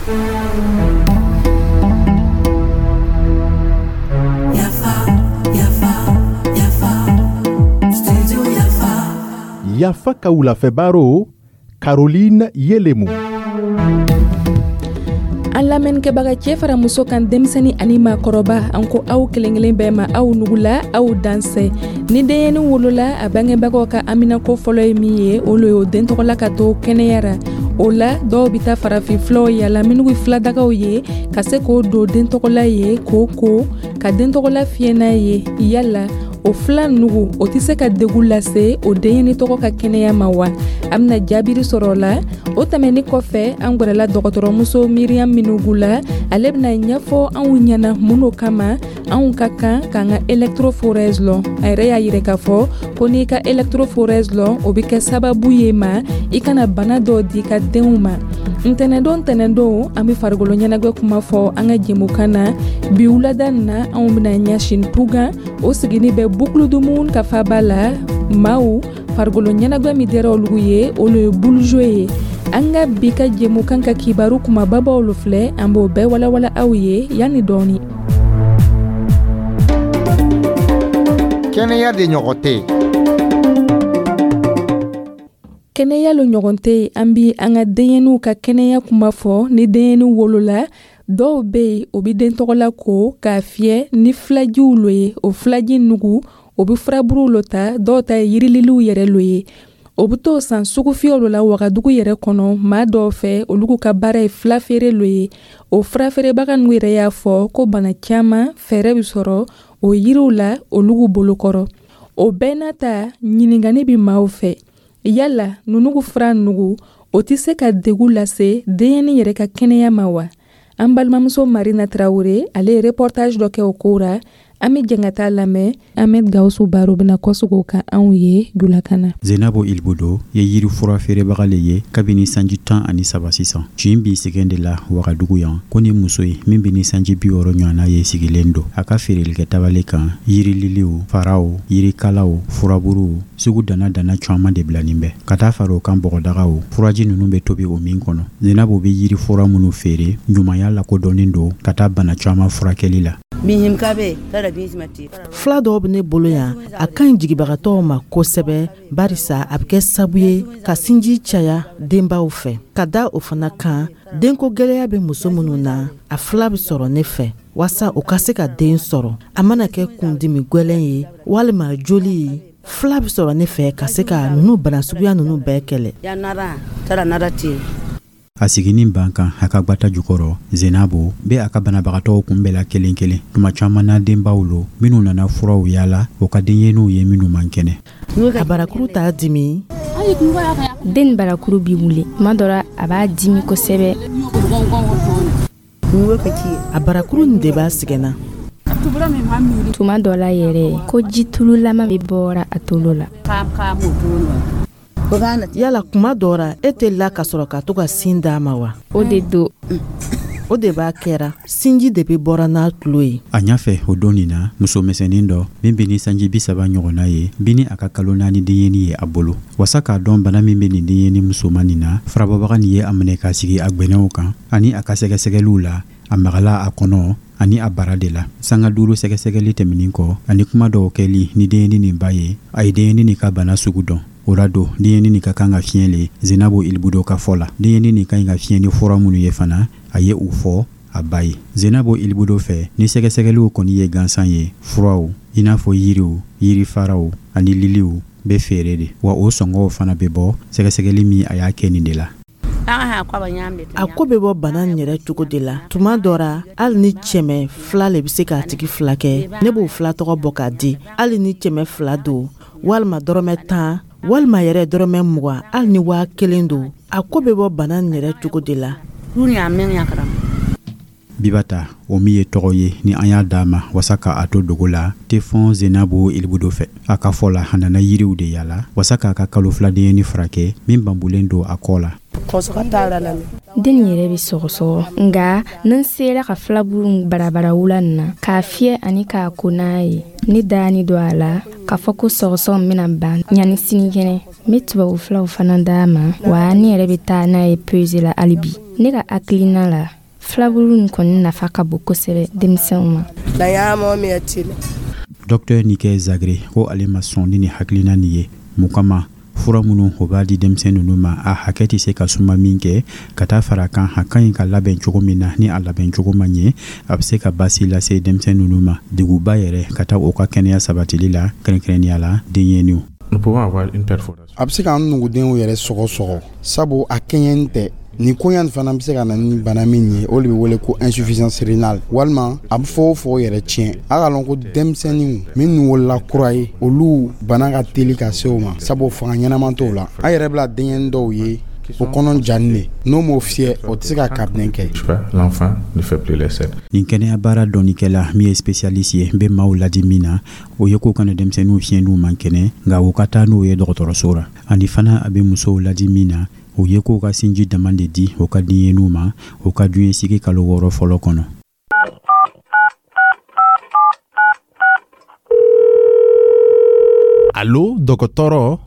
Yafa, yafa, yafa, Studio Yafa. Yafa ka wulafɛ baro, Caroline Yelemu. An lamɛnnikɛbaga, cɛɛ fara muso kan, denmisɛni ani maakɔrɔba, an ko aw kelen kelen bɛɛ ma, aw nugula, aw dansɛ. Ni denyɛni wolola, a bangebagaw ka haminako fɔlɔ ye min ye, o lo ye o den tɔgɔla ka to kɛnɛya ra. O la, dɔw bɛ taa farafin filaw yala minnu ye filadagaw ye, ka se k'o don den tɔgɔla ye, k'o ko ka den tɔgɔla fiyɛ n'a ye. Yala o fila nugu, o tɛ se ka degun lase o denyɛni tɔgɔ ka kɛnɛya ma wa? An bɛna jaabiri sɔrɔ o la. O tɛmɛni kɔfɛ, an gwɛrɛla dɔgɔtɔrɔmuso Miriam Minugu la. Ale bɛna ɲɛfɔ anw ɲɛna mun no kama anw ka kan k'an ka électrophorèse lɔn. A yɛrɛ y'a yira k'a fɔ ko n'i ka électrophorèse lɔn, o bɛ kɛ sababu ye ma i kana bana dɔw di i ka denw ma. Ntɛnɛdon, ntɛnɛdon, an bɛ farikolo ɲɛnajɛ kuma fɔ an ka jɛmukan na. Bi wulada nin na, anw bɛna ɲɛsin Pugan, o sigini bɛ Bukuludumun ka faba la. Maaw farikolo ɲɛnajɛ min diyara olu ye, olu ye boule ye. An ka bi ka jɛmukan ka kibaru kumababaw lo filɛ. An b'o bɛɛ walawala aw ye yanni dɔɔni. Kɛnɛya de ɲɔgɔn tɛ yen. Kɛnɛya lo ɲɔgɔn tɛ yen. An bi an ka denyɛniw ka kɛnɛya kuma fɔ. Ni denyɛni wolola, dɔw bɛ yen, o bɛ den tɔgɔla ko k'a fiyɛ ni filajiw lo ye. O filaji nugu, o bɛ furaburuw lo ta, dɔw ta ye yirililiw yɛrɛ lo ye. O bɛ t'o san sugufiyɛw lo la Wagadugu yɛrɛ kɔnɔ, maa dɔw fɛ, olu ka baara ye filafeere lo ye. O furafeerebaga ninnu yɛrɛ y'a fɔ ko bana caman fɛɛrɛ bɛ sɔrɔ o yiriw la olu bolokɔrɔ. O bɛɛ n'a ta, ɲininkali bɛ maaw fɛ: yala nunugu fura nugu, o tɛ se ka degun lase denyɛni yɛrɛ ka kɛnɛya ma wa? An balimamuso Marina Tarawele, ale ye reportage dɔ kɛ o ko ra. An bɛ jɛn ka taa lamɛn. Ahmed Gawusu Baro bɛna kɔsegin o kan anw ye julakan na. Zenabo Ilbodo ye yiri fura feerebaga le ye kabini sanji 13 sisan. Tin b'i sɛgɛn de la Wagadugu yan ko ni muso ye min bɛ ni sanji 60 ɲɔgɔnna ye sigilen don a ka feerelikɛ tabali kan. Yirililiw, faraw, yirikalaw, furaburuw sugu dana dana caman de bilanin bɛ ka taa fara o kan, bɔgɔdagaw, furaji ninnu bɛ tobi o min kɔnɔ. Zenabo bɛ yiri fura minnu feere, ɲumanya lakodɔnnen don ka taa bana caman furakɛli la. Fila dɔw bɛ ne bolo yan. A ka ɲi jigibagatɔw ma kosɛbɛ, barisa a bɛ kɛ sabu ye ka sinji caya denbaw fɛ. Ka da o fana kan, denko gɛlɛya bɛ muso minnu na, a fila bɛ sɔrɔ ne fɛ waasa u ka se ka den sɔrɔ. A mana kɛ kundimi gwɛlɛn ye walima joli ye, fila bɛ sɔrɔ ne fɛ ka se ka ninnu bana suguya ninnu bɛɛ kɛlɛ. A siginin ban kan a ka gbata jukɔrɔ, Zenabo bɛ a ka banabagatɔw kunbɛnla kelen kelen. Tuma caman na, denbaw lo minnu nana furaw yaala o ka denyɛninw ye minnu man kɛnɛ. A barakuru t'a dimi. Den barakuru bi wuli tuma dɔ la, a b'a dimi kosɛbɛ. A barakuru nin de b'a sɛgɛnna. Tuma dɔ la yɛrɛ, ko jitululama bɛ bɔra a tolo la. Yala kuma dɔ ra, e tɛ la ka sɔrɔ ka to ka sin d'a ma wa? O de don. O de b'a kɛra, sinji de bɛ bɔra n'a tulo ye. A ɲɛfɛ o don nin na, musomisɛnnin dɔ min bɛ ni sanji 30 ɲɔgɔnna ye bi ni a ka kalo 4 denyɛnin ye a bolo. Wasa k'a dɔn bana min bɛ nin denyɛnin musoman nin na, furabɔbaga nin ye a minɛ k'a sigi a gbɛnɛw kan. Ani a ka sɛgɛsɛgɛliw la, a magala a kɔnɔ ani a bara de la. Sanga 5 sɛgɛsɛgɛli tɛmɛnin kɔ ani kuma dɔw kɛli ni denyɛnin nin ba ye, a ye denyɛnin nin ka bana sugu dɔn. O la don, denyɛnin nin ka kan ka fiɲɛ le. Zenabo Ilibudo ka fɔ la, denyɛnin nin ka ɲi ka fiɲɛ ni fura minnu ye fana, a ye u fɔ a ba ye. Zenabo Ilibudo fɛ, ni sɛgɛsɛgɛliw kɔni ye gansan ye, furaw i n'a fɔ yiriw, yirifaraw ani liliw bɛ feere de wa, o sɔngɔw fana bɛ bɔ sɛgɛsɛgɛli min a y'a kɛ nin de la. A ko bɛ bɔ bana nin yɛrɛ cogo de la. Tuma dɔ ra, hali ni 200 le bɛ se k'a tigi fila kɛ, ne b'o fila tɔgɔ bɔ k'a di. Hali ni 200 don, walima dɔrɔmɛ 10, walima yɛrɛ dɔrɔmɛ 20, hali ni 1000 don, a ko bɛ bɔ bana nin yɛrɛ cogo de la. Bibata, o min ye tɔgɔ ye ni an y'a d'a ma wasa k'a to dogo la, tɛ fɔn Zenabo Ilibudo fɛ. A ka fɔ la, a nana yiriw de yaala wasa k'a ka kalo 2 denyɛnin furakɛ min banbulen don a kɔ la. Den yɛrɛ bɛ sɔgɔsɔgɔ, nka ni n sera ka filaburu barabara wula nin na k'a fiyɛ ani k'a ko n'a ye, ne dani don a la k'a fɔ ko sɔgɔsɔgɔ bɛna ban yanni sinikɛnɛ. N bɛ tubabufuraw fana d'a ma, wa ne yɛrɛ bɛ taa n'a ye peseli la hali bi. Ne ka hakilina la, filaburu nin kɔni nafa ka bon kosɛbɛ denmisɛnw ma. Dɔktɛr Nikɛ Zagre ko ale ma sɔn ni nin hakilina nin ye. Mun kama? Fura minnu o b'a di denmisɛn ninnu ma, a hakɛ tɛ se ka suma min kɛ ka taa fara kan, a ka ɲi ka labɛn cogo min na, ni a labɛn cogo ma ɲɛ, a bɛ se ka baasi lase denmisɛn ninnu ma, deguba yɛrɛ ka taa u ka kɛnɛya sabatili la, kɛrɛnkɛrɛnnenya la denyɛninw. A bɛ se k'an nugudenw yɛrɛ sɔgɔsɔgɔ, sabu a kɛɲɛni tɛ. Nin koɲa nin fana bɛ se ka na ni bana min ye, o de bɛ wele ko insuffisance rénale, walima a bɛ fogofogo yɛrɛ tiɲɛ. A k'a lɔn ko denmisɛnninw minnu wolola kura ye, olu bana ka teli ka se o ma, sabu fanga ɲɛnama t'o la. An yɛrɛ bila denyɛnin dɔw ye, o kɔnɔ janin de, n'o m'o fiyɛ, o tɛ se ka kabinɛ kɛ. Nin kɛnɛya baara dɔnnikɛla min ye spécialiste ye, n bɛ maaw ladi min na, o ye k'u kana denmisɛnninw fiyɛ n'u man kɛnɛ, nka u ka taa n'u ye dɔgɔtɔrɔso ra. Ani fana, a bɛ musow ladi min na, o ye k'u ka sinji dama de di u ka denyɛninw ma u ka diɲɛ kalo 6 fɔlɔ kɔnɔ. Alo dɔgɔtɔrɔ.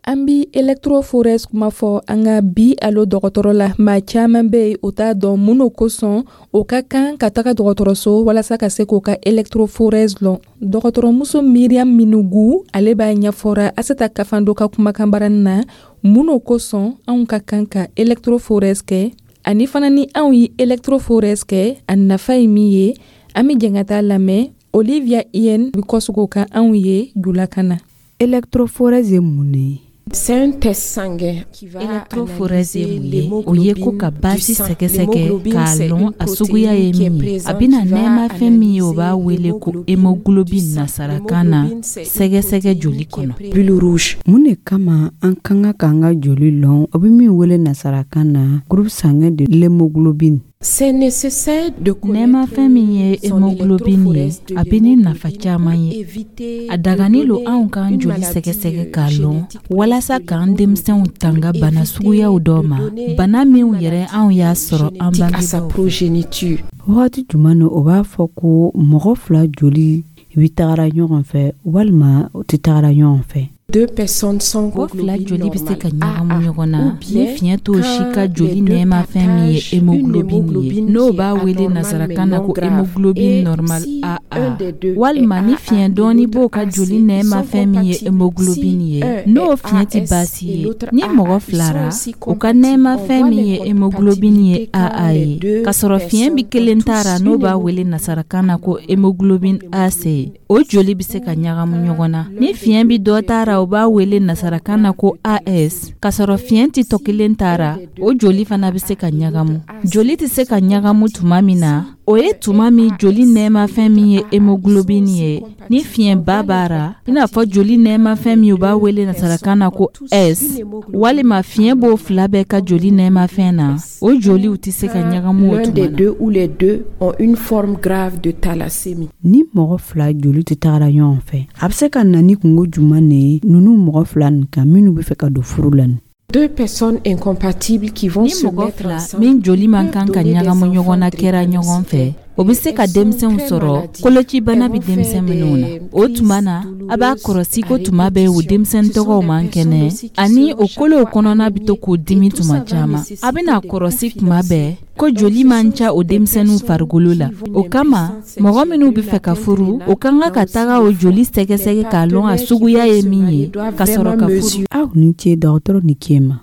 An bi électrophorèse kuma fɔ an ka bi alo dɔgɔtɔrɔ la. Maa caman bɛ yen, o t'a dɔn mun no kosɔn o ka kan ka taga dɔgɔtɔrɔso walasa ka se k'o ka électrophorèse lɔn. Dɔgɔtɔrɔmuso Miriam Minugu, ale b'a ɲɛfɔra Aseta Kafando ka kumakan barani na mun no kosɔn anw ka kan ka électrophorèse kɛ, ani fana ni anw ye électrophorèse kɛ, a nafa ye min ye. An bɛ jɛn ka taa lamɛn. Olivia Ien bi kɔsog'o kan anw ye julakan na. Électrophorèse ye mun de ye? C'est un test sanguin qui va Électrophorèse ye mun ye? O ye ko ka baasi sɛgɛsɛgɛ k'a lɔn a suguya ye min ye. A bɛna nɛɛmafɛn min ye, o b'a wele ko hémoglobine nasarakan na, sɛgɛsɛgɛ joli kɔnɔ. Globules rouges. Mun de kama an ka kan k'an ka joli lɔn, o bɛ min wele nasarakan na groupe sanguin de l'hémoglobine? C'est nécessaire de connaître Nɛɛmafɛn min ye son hémoglobine ye, électrophorèse de a bɛ ni nafa l'hémoglobine caman pour ye. éviter A de dagani lo donner anw k'an une joli maladie sɛgɛsɛgɛ k'a lɔn génétique walasa de k'an denmisɛnw l'hémoglobine tanga pour bana éviter suguyaw dɔ de ma, donner bana une minw yɛrɛ maladie anw y'a sɔrɔ an génétique à sa bangebaaw fɛ. progéniture. Wagati jumɛn na o b'a fɔ ko mɔgɔ fila joli bɛ tagara ɲɔgɔn fɛ walima o tɛ tagara ɲɔgɔn fɛ? Deux personnes sans Mɔgɔ fila hémoglobine joli bɛ se ka normale ɲagamu AA ɲɔgɔn na ou ni bien fiɲɛ t'o si ka quand joli les deux nɛɛmafɛn min ye partagent une hémoglobine ye, hémoglobine n'o qui est b'a wele anormale mais nasarakan na non ko grave. hémoglobine Et normale si AA, un des deux est walima ni AA fiɲɛ et dɔɔni l'autre b'o ka AC, joli ils sont nɛɛmafɛn min ye compatibles. hémoglobine Si ye, un n'o est fiɲɛ tɛ AS baasi et ye. l'autre Ni mɔgɔ AA, ils fila sont ra, aussi u ka compatibles. On nɛɛmafɛn voit min ye hémoglobine ye l'incompatibilité quand AA les ye, deux k'a sɔrɔ fiɲɛ bɛ personnes ont kelen ta ra, tous n'o une b'a wele hémoglobine nasarakan na ko anormale hémoglobine comme AC, l'hémoglobine o S joli bɛ se ka ou ɲagamu quand ɲɔgɔn na. l'un Ni des fiɲɛ bɛ deux dɔ qui ta est ra, o b'a une wele forme nasarakan na grave ko de thalassémie. AS, k'a sɔrɔ Et fiɲɛ tɛ tɔ si kelen ta un ra, des o deux joli est fana bɛ se AA ka et l'autre ɲagamu. AC, Joli tɛ ils se ka sont ɲagamu tuma compatibles. min na, Si o ye un tuma est min joli AS et nɛɛmafɛn l'autre min ye AA, ils sont hémoglobine aussi ye, ni compatibles. On fiɲɛba voit b'a ra, i n'a fɔ joli l'incompatibilité quand nɛɛmafɛn les min u b'a deux wele nasarakan personnes na ont ko tous une S, hémoglobine walima fiɲɛ b'o anormale fila bɛɛ ka comme joli nɛɛmafɛn l'hémoglobine na, S o joliw ou tɛ se ka quand ɲagamu o l'un tuma des na. deux ou les deux ont une forme grave de thalassémie. Ni mɔgɔ fila joli tɛ tagara ɲɔgɔn fɛ, a bɛ se ka na ni kungo juman de ye ninnu mɔgɔ fila nin kan minnu bɛ fɛ ka don furu la nin? Deux personnes incompatibles qui vont Ni se mɔgɔ mettre fila ensemble min joli man peuvent kan ka donner des ɲagamu ɲɔgɔn enfants na kɛra ɲɔgɔn fɛ, drépanocytaires o bɛ et se ka elles sont denmisɛnw très sɔrɔ maladives. kolocibana Elles bɛ vont faire denmisɛn minnu na. des O tuma crises na, a b'a douloureuses kɔrɔsi à ko tuma bɛɛ o répétition. denmisɛnnin Ce sont tɔgɔw des man personnes kɛnɛ, aussi qui ani seront o chaque kolow fois kɔnɔna bɛ to anémiées k'o et dimi tout tuma ça va caman. A nécessiter bɛna des coups kɔrɔsi tuma financiers. bɛɛ ko Donc joli ce man sont ca o des denmisɛnninw personnes farikolo la. qui vont O une kama, impuissance mɔgɔ sexuelle, minnu bɛ une fɛ ka atteinte furu, o rénale, ka kan là ka aussi taga le o foie. joli Les sɛgɛsɛgɛ k'a lɔn a partenaires qui suguya veulent ye se min marier ye, doivent ka sɔrɔ vraiment ka furu. mesurer. Aw ni ce, dɔgɔtɔrɔ ni ce ma.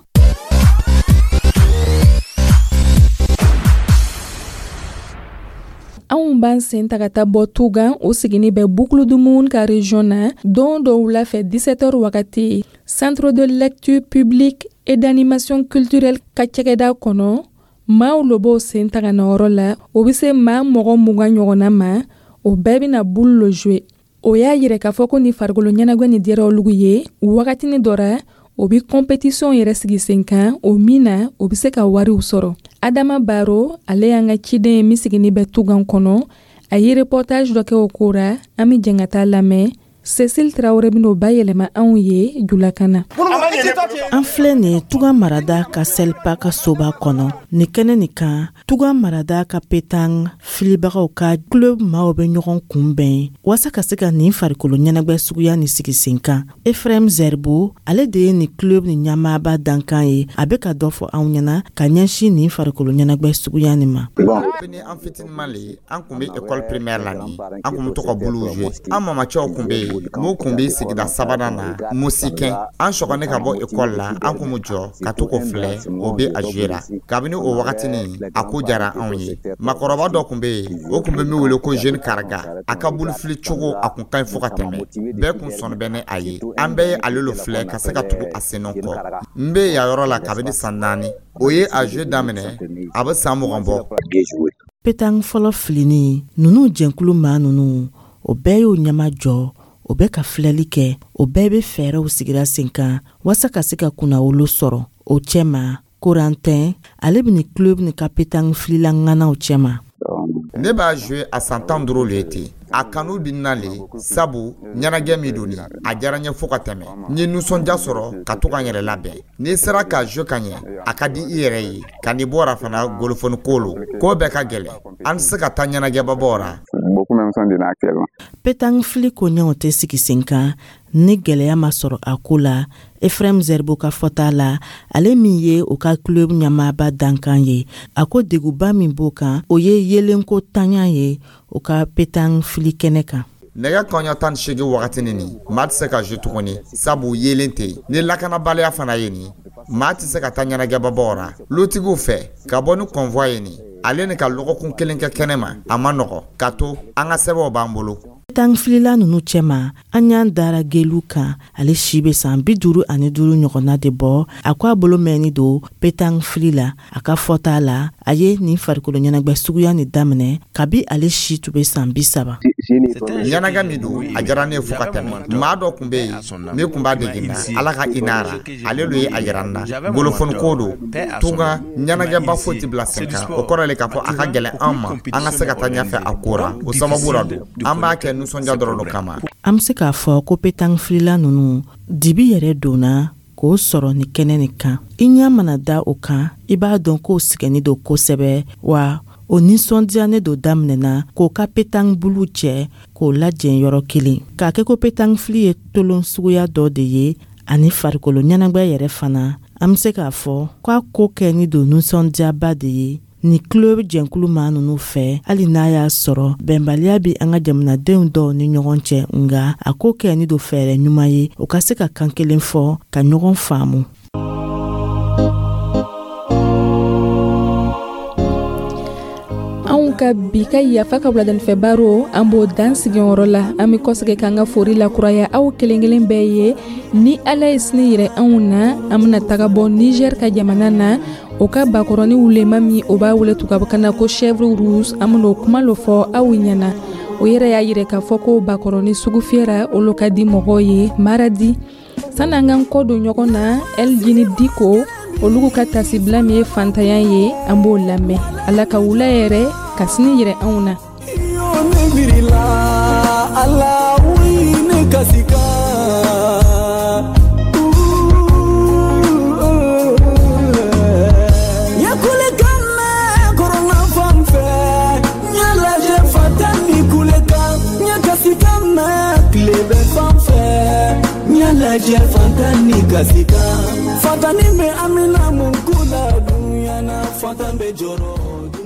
Anw b'an sen ta ka taa bɔ Tugan, o sigini bɛ Boucle du Mouhoun ka région na. Don dɔ wula fɛ, 17h wagati, Centre de lecture publique et d'animation culturelle ka cɛgɛda kɔnɔ, maaw lo b'o sen ta ka na yɔrɔ la. O bɛ se maa mɔgɔ 20 ɲɔgɔnna ma. O bɛɛ bɛna boule lo jouer. O y'a yira k'a fɔ ko ni farikolo ɲɛnagwɛ ni diyara olugu ye wagatini dɔ ra, o bi compétition yɛrɛ sigi sen kan, o min na o bɛ se ka wariw sɔrɔ. Adama Baro, ale y'an ka ciden ye min sigini bɛ Tugan kɔnɔ, a ye reportage dɔ kɛ o ko ra. An bɛ jɛn ka taa lamɛn. Cecile Traoré ben'o bayɛlɛma anw ye julakan na. An filɛ nin ye Tuga marada ka Selpa ka soba kɔnɔ. Nin kɛnɛ nin kan, Tuga marada ka pétanque filibagaw ka club maaw bɛ ɲɔgɔn kunbɛn waasa ka se ka nin farikolo ɲɛnagwɛ suguya nin sigi sen kan. Efrem Zerbo, ale de ye nin club nin ɲɛmaaba dankan ye. A bɛ ka dɔ fɔ anw ɲɛna ka ɲɛsin nin farikolo ɲɛnagwɛ suguya nin ma. Kabini an fitininma le, an kun bɛ école primaire la ni an kun bɛ to ka buluw jouer. An mamacɛw kun bɛ yen mun kun bɛ sigida sabanan na Musikɛn. An sɔgɔni ka bɔ école la, an kun bɛ jɔ ka to k'o filɛ, o bɛ a jouer la. Kabini o wagatinin, a ko diyara anw ye. Makɔrɔba dɔ kun bɛ yen, o kun bɛ min wele ko Jeune Karaga. A ka bolofili cogo, a kun ka ɲi fo ka tɛmɛ. Bɛɛ kun sɔnni bɛ ni a ye. An bɛɛ ye ale lo filɛ ka se ka tugu a sennɔ kɔ. N bɛ yan yɔrɔ la kabini san 4. O ye a jouer daminɛ, a bɛ san 20 bɔ. Pétanque fɔlɔ filini ninnu jɛnkulu maa ninnu, o bɛɛ y'o ɲɛma jɔ, o bɛ ka filɛli kɛ. O bɛɛ bɛ fɛɛrɛw sigira sen kan waasa ka se ka kunnawolo sɔrɔ o cɛma. Korantɛn, ale bɛ nin club nin ka pétanque filila ŋanaw cɛma. Ne b'a jouer a san 15 le ye ten. A kanu bɛ n na le, sabu ɲɛnajɛ min don nin, a diyara n ye fo ka tɛmɛ. N ye nisɔndiya sɔrɔ ka to ka n yɛrɛ labɛn. N'i sera ka jouer ka ɲɛ, a ka di i yɛrɛ ye. Ka n'i bɔra fana, golofoni ko lo, ko bɛɛ ka gɛlɛn. An tɛ se ka taa ɲɛnajɛbabaw ra. Pétanque fili koɲɛw tɛ sigi sen kan ni gwɛlɛya ma sɔrɔ a ko la. Efrem Zerbo ka fɔta la, ale min ye o ka club ɲɛmaaba dankan ye, a ko deguba min b'o kan, o ye yelenko tanya ye o ka pétanque fili kɛnɛ kan. Nɛgɛ kɔɲɔ 18 wagatinin nin, maa tɛ se ka jouer tuguni, sabu yeelen tɛ yen. Ni lakanabaliya fana ye nin, maa tɛ se ka taa ɲɛnajɛbabaw ra lutigiw fɛ ka bɔ ni convoi ye nin, ale ni ka lɔgɔkun kelen kɛ kɛnɛ ma, a ma nɔgɔ ka to an ka sɛbɛnw b'an bolo. Pétanque filila ninnu cɛma, an y'an dara gelu kan. Ale si bɛ san 55 ɲɔgɔnna de bɔ. A ko a bolo mɛnni don pétanque fili la. A ka fɔta la, a ye nin farikolo ɲɛnagwɛ suguya nin daminɛ kabi ale si tun bɛ san 30. Ɲɛnajɛ min don, a diyara ne ye fo ka tɛmɛ. Maa dɔ kun bɛ yen min kun b'a dege n na, Ala ka hinɛ a ra, ale lo ye a yira n na. Golofoni ko don. Tunga ɲɛnajɛba foyi tɛ bila sen kan, o kɔrɔ le k'a fɔ a ka gɛlɛn an ma an ka se ka taa ɲɛfɛ a ko ra. O sababu la don, an b'a kɛ nisɔndiya dɔrɔn lo kama. An bɛ se k'a fɔ ko pétanque filila ninnu dibi yɛrɛ donna k'o sɔrɔ ni kɛnɛ nin kan. I ɲɛ mana da o kan, i b'a dɔn k'o sɛgɛnni don kosɛbɛ, wa o nisɔndiyalen don daminɛna k'o ka pétanque buluw cɛ k'o lajɛ yɔrɔ kelen, k'a kɛ ko pétanque fili ye tolon suguya dɔ de ye ani farikolo ɲɛnagwɛ yɛrɛ fana. An bɛ se k'a fɔ k'a ko kɛni don nisɔndiyaba de ye ni club jɛnkulu maa ninnu fɛ, hali n'a y'a sɔrɔ bɛnbaliya bɛ an ka jamanadenw dɔw ni ɲɔgɔn cɛ. Nga a ko kɛni don fɛɛrɛ ɲuman ye o ka se ka kan kelen fɔ ka ɲɔgɔn faamu. Anw ka bi ka Yafa ka wuladanifɛ baro, an b'o dan sigiyɔrɔ la. An bɛ kɔsegin k'an ka fori lakuraya aw kelen kelen bɛɛ ye. Ni Ala ye sini yirɛ anw na, an bɛna taga bɔ Niger ka jamana na, o ka bakɔrɔni wulema min o b'a wele tubabukan na ko chèvre rouge. An bɛn'o kuma lo fɔ aw ɲɛna. O yɛrɛ y'a yirɛ k'a fɔ ko bakɔrɔni sugu fiyɛra, olu ka di mɔgɔw ye maradi. Sani an k'an kɔ don ɲɔgɔn na, Eljini Diko olu ka tasibila min ye fantanya ye, an b'o lamɛn. Ala ka wula yɛrɛ ka sini yirɛ anw na. Ala ne kasika. Lajɛ fantan ni kasika, fantan ni bɛ amina mun ko la dunya na, fantan bɛ jɔrɔ.